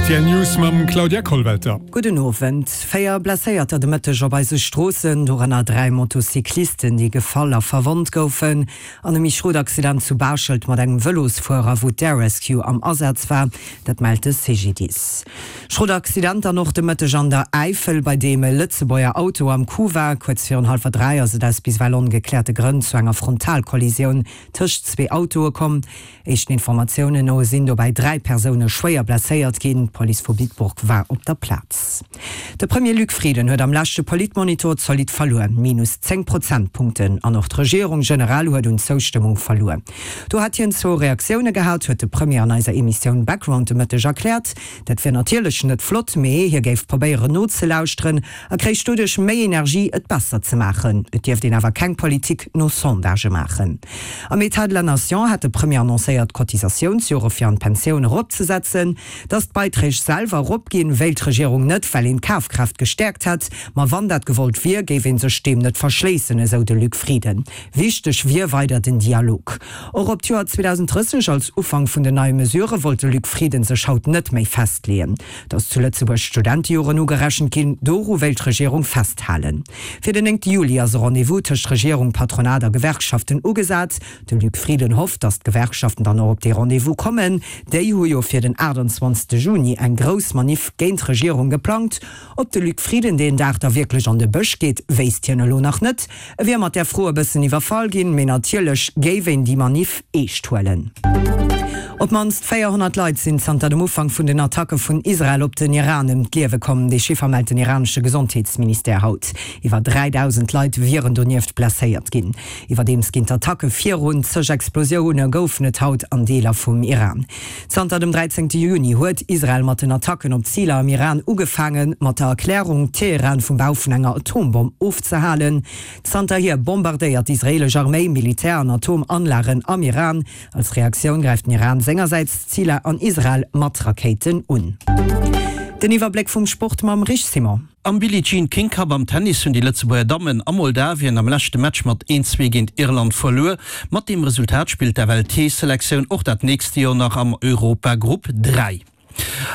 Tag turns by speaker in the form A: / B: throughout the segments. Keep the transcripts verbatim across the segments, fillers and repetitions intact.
A: R T L News mam Claudia Kollwelter.
B: Gudden Owend. Véier Blesséierter de Mëtteg op eise Stroossen, dorënner dräi Motocyclisten, déi gefall a verwonnt goufen an e méi schrot Accident zu Baaschtnech mat engem Vëlosfuerer, wou d'Air Rescue am Asaz war, dat mellt de C G D I S. Schrot Accident dann och de Mëtteg an der Äifel, bei deem e Lëtzebuerger Auto am Coup war. Kuerz virun hallwer dräi ass et aus bis ewell ongekläerte Grënn zu enger Frontalkollisioun tëscht zwee Autoe komm. Éischten Informatiounen no sinn dobäi dräi Persoune schwéier blesséiert ginn. D'Police vu Bitburg war op der Plaz. De Premier Luc Frieden huet am leschte Politmonitor zolidd verluer, minus zéng Prozentpunkten, an och d'Regierung generell huet un Zoustëmmung verluer. Do hätt hien zwou Reaktioune gehat, huet de Premier an eiser Emissioun Background de Mëtteg erkläert. Dat wier natierlech net flott, mee hie géif probéieren nozelauschteren a kréich doduerch méi Energie, et besser ze maachen. Et dierft een awer keng Politik no Sondagë maachen. Am État de la Nation hat de Premier annoncéiert, d'Cotisatiounsjore fir an d'Pensioun eropzesetzen. Datt d'Beiträg selwer eropginn, wéilt d'Regierung net, well een d'Kafkraaft gestäerkt hätt. Ma wann dat gewollt wier, géif ee sech deem net verschléissen, esou de Luc Frieden. Wichteg wier weider den Dialog. Och op d'Joer zweedausend drësseg als Ufank vun den neie Mesurë wollt de Luc Frieden sech haut net méi festleeën. Datt zu Lëtzebuerg Studentejoren ugerechent ginn, doru wéilt d'Regierung festhalen. Fir den néngte Juli ass e Rendez-vous tëscht Regierung, Patronat a Gewerkschaften ugesat. De Luc Frieden hofft, datt d'Gewerkschaften dann och op dee Rendez-vous kommen. Déi hu jo fir den aachtanzwanzegste Juni eng grouss Maniff géint d'Regierung geplangt. Ob de Luc Frieden deen Dag da wierklech an de Bësch geet, wéisst hien elo nach net. E wier mat där Fro e bëssen iwwerfall ginn, mee natierlech géif een déi Maniff eescht huelen. Op d'mannst véierhonnert Leit sinn zanter dem Ufank vun den Attacke vun Israel op den Iran ëm d'Liewe komm. Dee Chiffer mellt den iranesche Gesondheetsministère haut. Iwwer dräidausend Leit wieren donieft blesséiert ginn. Iwwerdeems ginn d'Attacke virun, zeg Explosioune goufen et haut an Deeler vum Iran. Zanter dem dräizéngte Juni huet Israel mat den Attacken op Ziler am Iran ugefaangen, mat der Erklärung, Teheran vum Bau vun enger Atombomm ofzehalen. Zanterhier bombardéiert d'israeelesch Arméi Militär an Atomanlagen am Iran. Als Reaktioun gräift den Iran sengersäits Ziler an Israel mat Rakéiten un. Den Iwwerbléck vum Sport mam Rich Simon.
C: Am Billie Jean King Cup am Tennis hunn déi Lëtzebuerger Dammen a Moldawien am leschte Match mat een zwee géint Irland verluer. Mat deem Resultat spillt d'F L T-Selektioun och dat nächst Joer nach am Europa-Grupp dräi.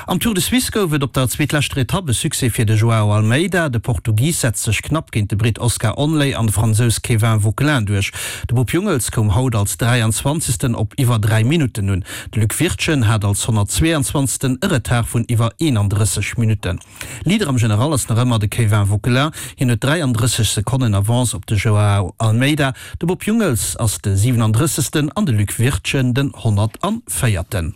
C: Am Tour de Suisse gouf et op der zweetleschter Etapp e Succès fir de Joao Almeida. De Portugis setzt sech knapp géint de Britt Oscar Onley an de Fransous Kévin Vauquelin duerch. De Bob Jungels koum haut als dräianzwanzegsten op iwwer dräi Minutten un. De Luc Wirtgen hat als honnertzweeanzwanzegsten e Retard vun iwwer eenandrësseg Minutten. Leader am General ass nach ëmmer de Kévin Vauquelin, hien huet dräiandrësseg Sekonnen Avance op de Joao Almeida. De Bob Jungels ass de siwenandrëssegsten an de Luc Wirtgen den honnertvéierten.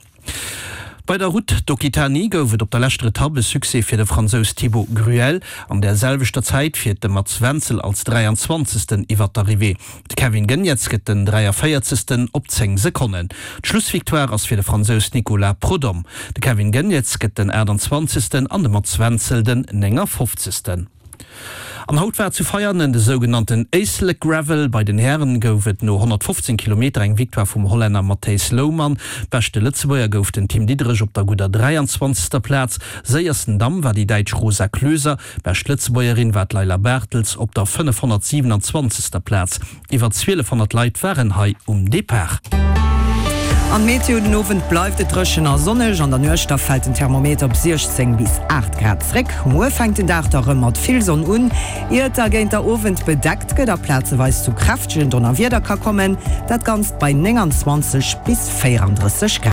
C: Bei der Route d'Occitanie gouf et op der leschter Etapp e Succès fir de Fransous Thibaut Gruel. An der selwechter Zäit fiert de Mats Wenzel als dräianzwanzegsten iwwer d'Arrivée. De Kevin Geniets gëtt den dräiavéierzegsten op zéng Sekonnen. D'Schlussvictoire ass fir de Fransous Nicolas Prodhomme. De Kevin Geniets gëtt den aachtanzwanzegsten an de Mats Wenzel den néngafofzegsten. An haut war zu Veianen de sougenannten Éislek Gravel. Bei den Hären gouf et no honnertfofzéng Kilometer eng Victoire vum Hollänner Matthijs Louman. Beschte Lëtzebuerger gouf den Tim Diederich op der gudder dräianzwanzegster Plaz. Séiersten Damm war déi Däitsch Rosa Klöser. Bescht Lëtzebuergerin war d'Leila Bartels op der fënnefhonnertsiwenanzwanzegster Plaz. Iwwer zwielefhonnert Leit waren hei um Depart.
B: An Meteo: Den Owend bleift et dréchen a sonneg, an der Nuecht da fält den Thermometer op siechzéng bis aacht Grad zréck. Muer fänkt den Dag da rëm mat vill Sonn un, ier et da géint der Owend bedeckt gëtt a plazeweis zu kräftegen Donnerwieder ka kommen, dat Ganzt bei nénganzwanzeg bis véierandrësseg Grad.